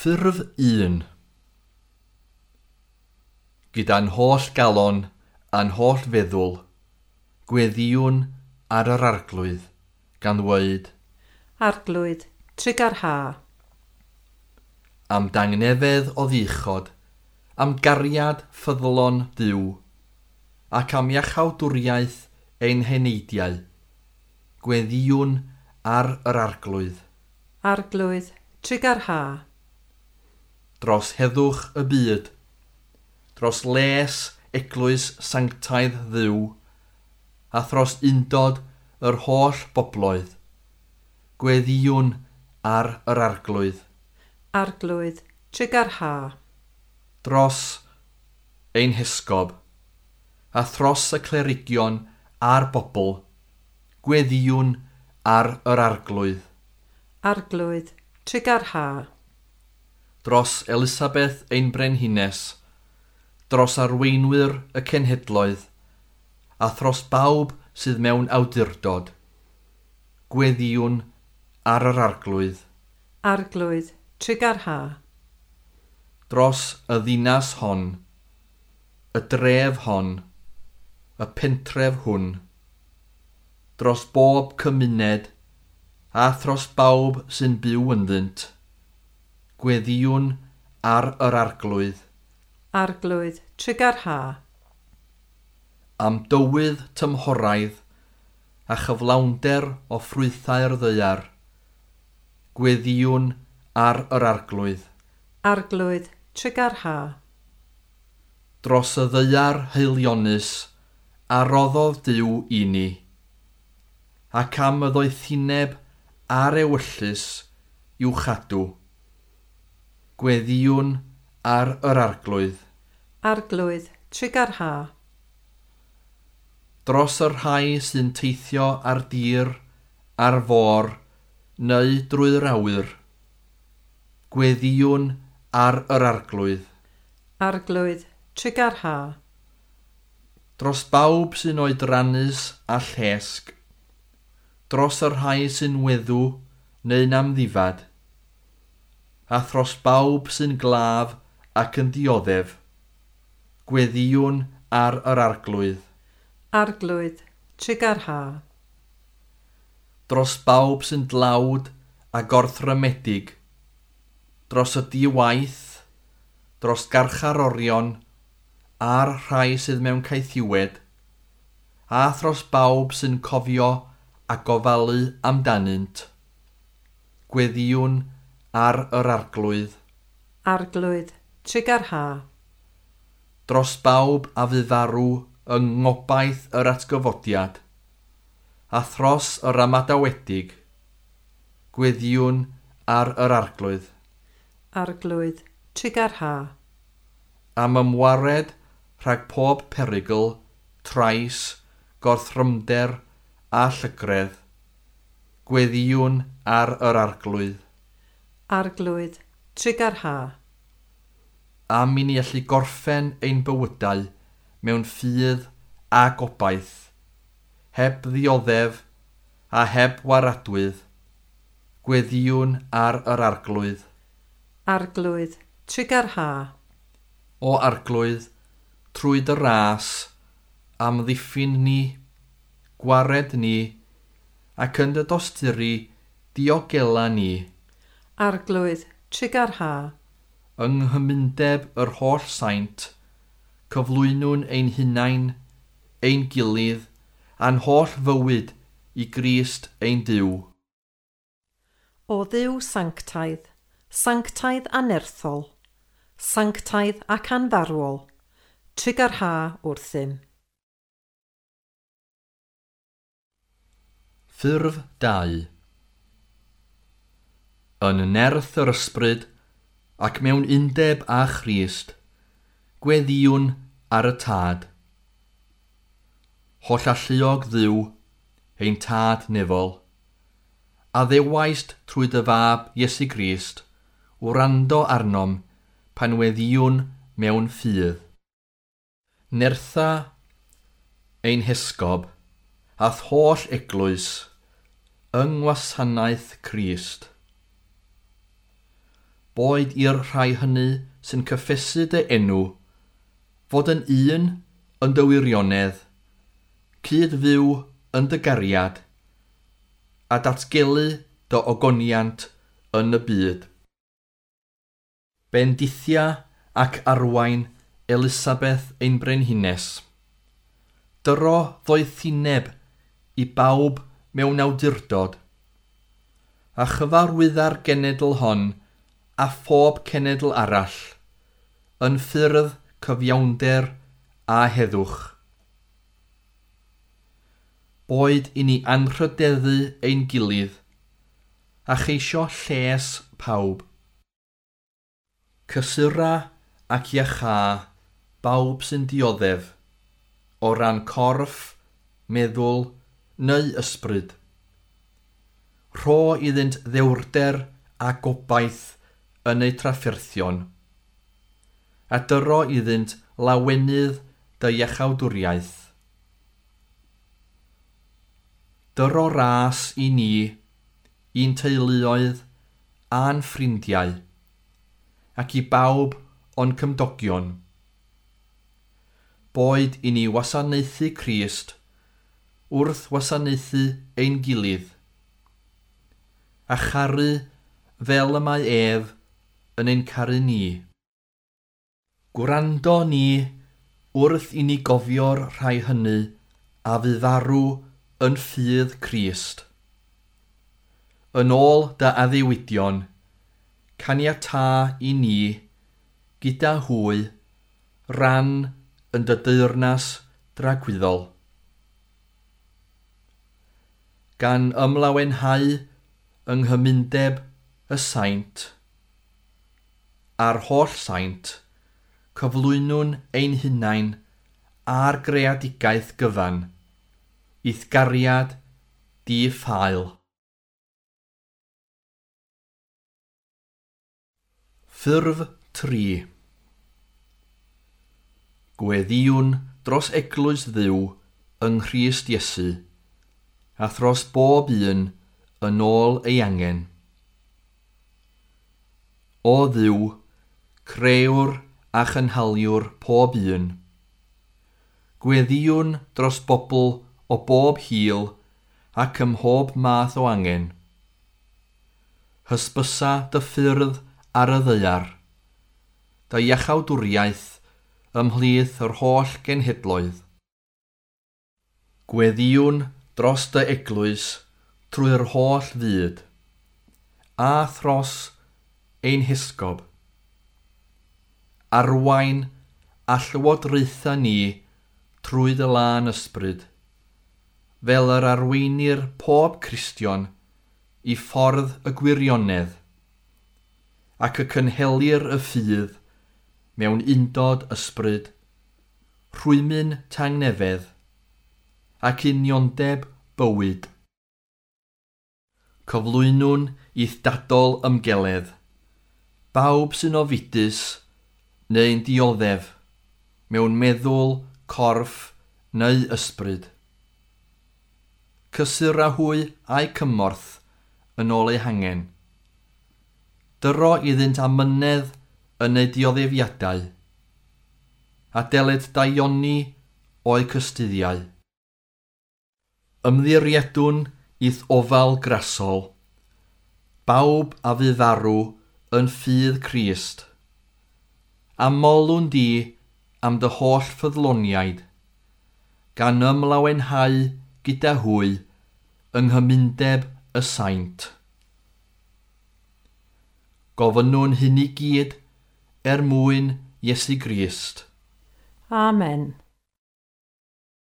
Ffurf 1. Gyda'n holl galon a'n holl feddwl, gweddïwn ar yr Arglwydd, gan ddweud: Arglwydd, trugarha. Am dangnefedd o ddichod, am gariad ffyddlon Duw, ac am iachawdwriaeth ein heneidiau, gweddïwn ar yr Arglwydd. Arglwydd, trugarha. Dros heddwch y byd, dros les eglwys sanctaidd Dduw, a thros undod yr holl bobloedd, gweddïwn ar yr Arglwydd. Arglwydd, trugarha. Dros ein hesgob, a thros y clerigion a'r bobl, gweddïwn ar yr Arglwydd. Arglwydd, trugarha. Dros Elisabeth ein brenhines, dros arweinwyr y cenhedloedd, a thros bawb sydd mewn awdurdod, gweddïwn ar yr Arglwydd. Arglwydd, trugarha. Dros y ddinas hon, y dref hon, y pentref hwn, dros bob cymuned, a thros bawb sy'n byw ynddynt, gweddïwn ar yr Arglwydd. Arglwydd, trugarha. Am dywydd tymhoraidd a chyflawnder o ffrwythau'r ddaear, gweddïwn ar yr Arglwydd. Arglwydd, trugarha. Dros y ddaear haelionus a roddodd Duw i ni, ac am y ddoethineb a'r ewyllys i'w chadw, gweddïwn ar yr Arglwydd. Arglwydd, trugarha. Dros y rhai sy'n teithio ar dir, ar fôr, neu drwy'r awyr, gweddïwn ar yr Arglwydd. Arglwydd, trugarha. Dros bawb sy'n oedrannus a llesg, dros y rhai sy'n weddw neu'n amddifad, a thros bawb sy'n glaf ac yn dioddef, gweddïwn ar yr Arglwydd. Arglwydd, trugarha. Dros bawb sy'n dlawd a gorthrymedig, dros y di-waith, dros garcharorion, a'r rhai sydd mewn caethiwed, a thros bawb sy'n cofio a gofalu amdanynt, gweddïwn ar yr Arglwydd. Arglwydd, trugarha. Dros bawb a fu farw yng ngobaith yr atgyfodiad, a thros yr amadawedig, gweddïwn ar yr Arglwydd. Arglwydd, trugarha. Am ymwared rhag pob perygl, trais, gorthrymder a llygredd, gweddïwn ar yr Arglwydd. Arglwydd, trugarha. Am i ni allu gorffen ein bywydau mewn ffydd a gobaith, heb ddioddef a heb waradwydd, gweddïwn ar yr Arglwydd. Arglwydd, trugarha. O Arglwydd, trwy dy ras, amddiffyn ni, gwared ni, ac yn dy dosturi diogela ni. Arglwydd, trugarha. Yng nghymundeb yr holl saint, cyflwynwn ein hunain, ein gilydd, a'n holl fywyd i Grist ein Duw. O Dduw sanctaidd, sanctaidd anerthol, sanctaidd ac anfarwol, trugarha wrthym. Ffurf 2. Yn nerth yr ysbryd ac mewn undeb â Christ, gweddïwn ar y Tad. Holl alluog Dduw, ein Tad nefol, a ddewaist trwy dy fab Iesu Grist, wrando arnom pan weddïwn mewn ffydd. Nertha ein hesgob, a'th holl eglwys, yng ngwasanaeth Crist. Boed i'r rhai hynny sy'n cyffesu dy enw, fod yn un yn dy wirionedd, cyd-fyw yn dy gariad, a datgelu dy ogoniant yn y byd. Bendithia ac arwain Elisabeth ein brenhines. Dyro ddoethineb i bawb mewn awdurdod, a chyfarwydda'r genedl hon a phob cenedl arall, yn ffyrdd cyfiawnder a heddwch. Boed i ni anrhydeddu ein gilydd, a cheisio lles pawb. Cysura ac iachâ bawb sy'n dioddef, o ran corff, meddwl neu ysbryd. Rho iddynt ddewrder a gobaith yn eu trafferthion, a dyro iddynt lawenydd dy iachawdwriaeth. Dyro ras i ni, i'n teuluoedd a'n ffrindiau, ac i bawb o'n cymdogion. Boed i ni wasanaethu Crist wrth wasanaethu ein gilydd, a charu fel y mae ef yn ein caru ni. Gwrando ni wrth i ni gofio'r rhai hynny a fu farw yn ffydd Crist. Yn ôl dy addewidion, caniatâ i ni, gyda hwy, ran yn dy deyrnas dragwyddol. Gan ymlawenhau yng nghymundeb y saint, a'r holl saint, cyflwynwn ein hunain a'r greadigaeth gyfan, i'th gariad di-ffael. Ffurf 3. Gweddïwn dros eglwys Dduw yng Nghrist Iesu, a thros bob un yn ôl ei angen. O Dduw, crëwr a chynhaliwr pob un. Gweddïwn dros bobl o bob hil ac ym mhob math o angen. Hysbysa dy ffyrdd ar y ddaear, dy iachawdwriaeth ymhlith yr holl genhedloedd. Gweddïwn dros dy eglwys trwy'r holl fyd, a thros ein hesgob. Arwain a llywodraetha ni trwy dy lân ysbryd, fel yr arweinir pob Cristion i ffordd y gwirionedd, ac y cynhelir y ffydd mewn undod ysbryd, rhwymyn tangnefedd, ac uniondeb bywyd. Cyflwynwn i'th dadol ymgeledd, bawb sy'n ofidus neu'n dioddef mewn meddwl, corff neu ysbryd. Cysura hwy a'u cymorth yn ôl eu hangen. Dyro iddynt amynedd yn eu dioddefiadau, a deled daioni o'u cystuddiau. Ymddiriedwn i'th ofal grasol, bawb a fu farw yn ffydd Crist, a molwn di am dy holl ffyddloniaid, gan ymlawenhau gyda hwy yng nghymundeb y saint. Gofynnwn hyn i gyd er mwyn Iesu Grist. Amen.